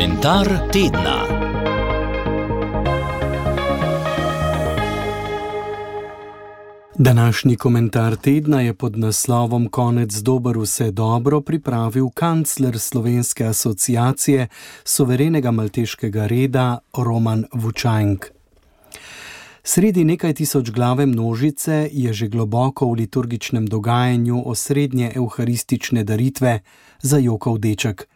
Komentar tedna. Današnji komentar tedna je pod naslovom Konec dober, vse dobro pripravil kancler Slovenske asociacije suverenega malteškega reda Roman Vučajnk. Sredi nekaj tisočglave množice je že globoko v liturgičnem dogajanju osrednje evharistične daritve zajokal deček.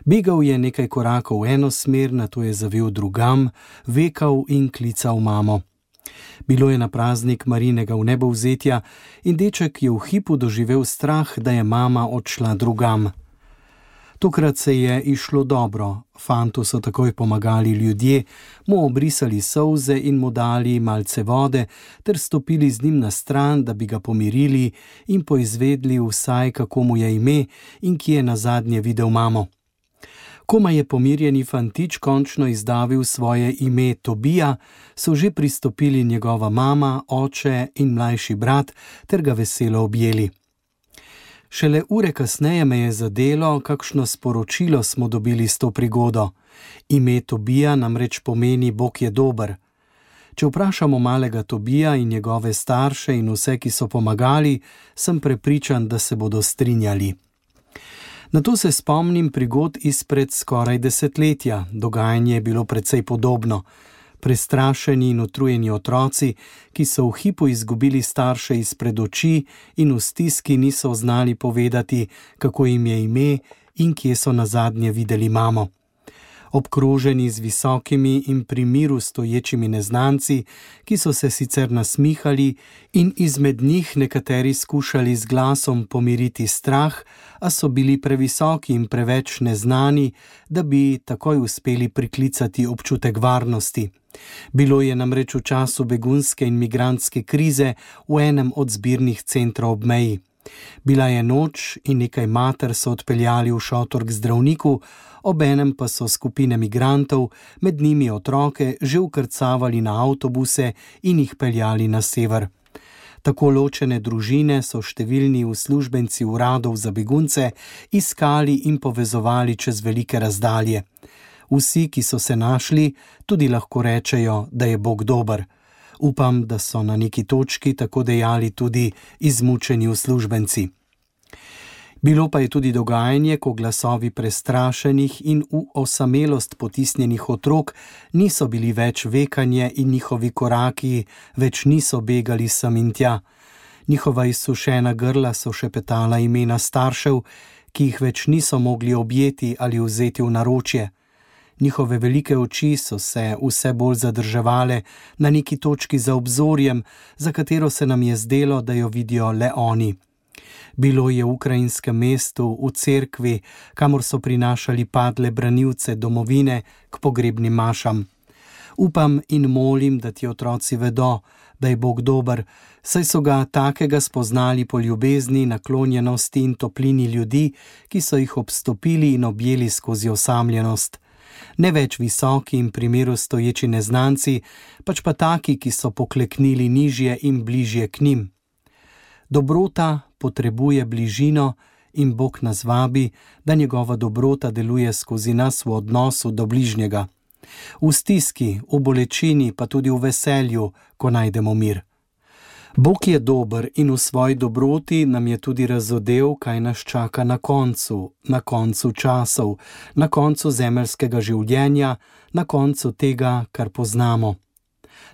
Begal je nekaj korakov v eno smer, nato je zavil drugam, vekal in klical mamo. Bilo je na praznik Marijinega vnebovzetja in deček je v hipu doživel strah, da je mama odšla drugam. Tokrat se je izšlo dobro, fantu so takoj pomagali ljudje, mu obrisali solze in mu dali malce vode ter stopili z njim na stran, da bi ga pomirili in poizvedli vsaj, kako mu je ime in kje je nazadnje videl mamo. Komaj je pomirjeni fantič končno izdavil svoje ime Tobija, so že pristopili njegova mama, oče in mlajši brat ter ga veselo objeli. Šele ure kasneje me je zadelo, kakšno sporočilo smo dobili s to prigodo. Ime Tobija namreč pomeni Bog je dober. Če vprašamo malega Tobija in njegove starše in vse, ki so pomagali, sem prepričan, da se bodo strinjali. Nato se spomnim prigod izpred skoraj desetletja. Dogajanje je bilo precej podobno. Prestrašeni in utrujeni otroci, ki so v hipu izgubili starše izpred oči in v stiski niso znali povedati, kako jim je ime in kje so nazadnje videli mamo. Obkroženi z visokimi in pri miru stoječimi neznanci, ki so se sicer nasmihali in izmed njih nekateri skušali z glasom pomiriti strah, a so bili previsoki in preveč neznani, da bi takoj uspeli priklicati občutek varnosti. Bilo je namreč v času begunske in migrantske krize v enem od zbirnih centrov ob meji. Bila je noč in nekaj mater so odpeljali v šotor k zdravniku, obenem pa so skupine migrantov, med njimi otroke, že vkrcavali na avtobuse in jih peljali na sever. Tako ločene družine so številni uslužbenci uradov za begunce iskali in povezovali čez velike razdalje. Vsi, ki so se našli, tudi lahko rečejo, da je Bog dober. Upam, da so na neki točki tako dejali tudi izmučeni uslužbenci. Bilo pa je tudi dogajanje, ko glasovi prestrašenih in v osamelost potisnjenih otrok niso bili več vekanje in njihovi koraki več niso begali sem in tja. Njihova izsušena grla so šepetala imena staršev, ki jih več niso mogli objeti ali vzeti v naročje. Njihove velike oči so se vse bolj zadrževale na neki točki za obzorjem, za katero se nam je zdelo, da jo vidijo le oni. Bilo je v ukrajinskem mestu, v cerkvi, kamor so prinašali padle branilce domovine k pogrebnim mašam. Upam in molim, da ti otroci vedo, da je Bog dober, saj so ga takega spoznali po ljubezni, naklonjenosti in toplini ljudi, ki so jih obstopili in objeli skozi osamljenost. Ne več visoki in pri miru stoječi neznanci, pač pa taki, ki so pokleknili nižje in bližje k njim. Dobrota potrebuje bližino in Bog nas vabi, da njegova dobrota deluje skozi nas v odnosu do bližnjega. V stiski, v bolečini, pa tudi v veselju, ko najdemo mir. Bog je dober in v svoji dobroti nam je tudi razodel, kaj nas čaka na koncu časov, na koncu zemeljskega življenja, na koncu tega, kar poznamo.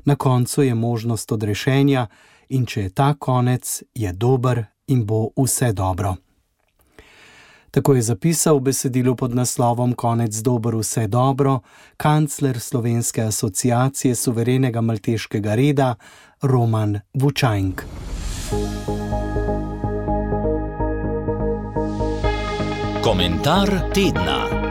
Na koncu je možnost odrešenja in če je ta konec, je dober in bo vse dobro. Tako je zapisal v besedilu pod naslovom Konec dober, vse dobro kancler Slovenske asociacije suverenega malteškega reda Roman Vučajnk. Komentar tedna.